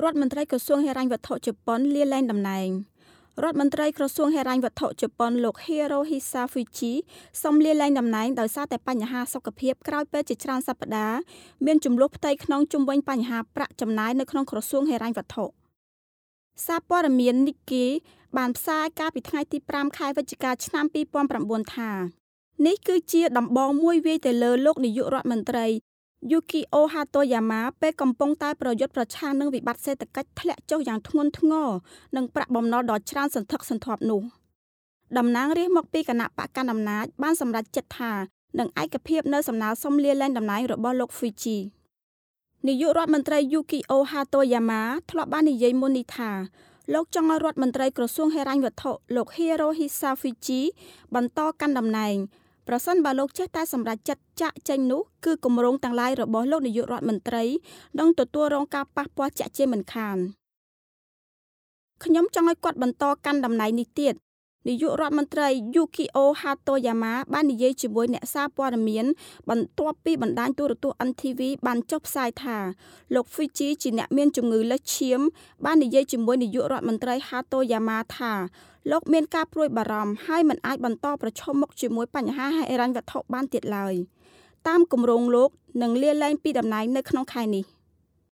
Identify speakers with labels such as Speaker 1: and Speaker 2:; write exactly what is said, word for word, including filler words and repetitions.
Speaker 1: រដ្ឋមន្ត្រីក្រសួងហិរញ្ញវត្ថុជប៉ុនលាលែងតំណែងរដ្ឋមន្ត្រីក្រសួងហិរញ្ញវត្ថុជប៉ុនលោក Hirohisa Fujii សុំលាលែងតំណែងដោយសារតែបញ្ហាសុខភាពក្រោយពេលជាច្រើនសប្តាហ៍មានជម្លោះផ្ទៃក្នុងជុំវិញបញ្ហាប្រាក់ចំណាយនៅក្នុងក្រសួងហិរញ្ញវត្ថុសារព័ត៌មាន Nikkei បានផ្សាយកាលពីថ្ងៃទីប្រាំខែវិច្ឆិកាឆ្នាំពីរពាន់ប្រាំបួនថានេះគឺជាដំបងមួយវាយទៅលើលោកនាយករដ្ឋមន្ត្រី Yukio Hatoyama ពេលកំពុងតែប្រយុទ្ធប្រឆាំងនឹងវិបត្តិសេដ្ឋកិច្ចធ្លាក់ចុះយ៉ាងធ្ងន់ធ្ងរនិងប្រាក់បំណុលដ៏ច្រើនសន្ធឹកសន្ធាប់នោះតំណាងរាស្ត្រមកពីគណៈបកកណ្ដាលអំណាចបានសម្រេចចិត្តថានឹងឯកភាពនៅសំណើសុំលាលែងតំណែងរបស់លោក Fujii នាយករដ្ឋមន្ត្រី Yukio Hatoyama ធ្លាប់បាននិយាយមុននេះថាលោកចង់ឲ្យរដ្ឋមន្ត្រីក្រសួងហិរញ្ញវត្ថុលោក Hirohisa Fujii បន្តកាន់តំណែងប្រសិនបើលោកចេះតែសម្រេចចិត្តចាកចេញនោះគឺគម្រោងទាំងឡាយរបស់លោកនាយករដ្ឋមន្ត្រីនឹងទទួលរងការប៉ះពាល់ជាក់ជាមិនខានខ្ញុំចង់ឲ្យគាត់បន្តកាន់តំណែងនេះទៀតនាយករដ្ឋមន្ត្រី Yukio Hatoyama បាននិយាយជាមួយអ្នកសារព័ត៌មានបន្ទាប់ពីបណ្ដាញទូរទស្សន៍ N T V បានចុះផ្សាយថាលោក Fujii ជាអ្នកមានជំងឺលើសឈាមបាននិយាយជាមួយនាយករដ្ឋមន្ត្រី Hatoyama ថាលោកមានការព្រួយបារម្ភហើយមិនអាចបន្តប្រឈមមុខជាមួយបញ្ហាហិរញ្ញវត្ថុបានទៀតឡើយតាមគម្រោងលោកនឹងលាលែងពីតំណែងនៅក្នុងខែនេះ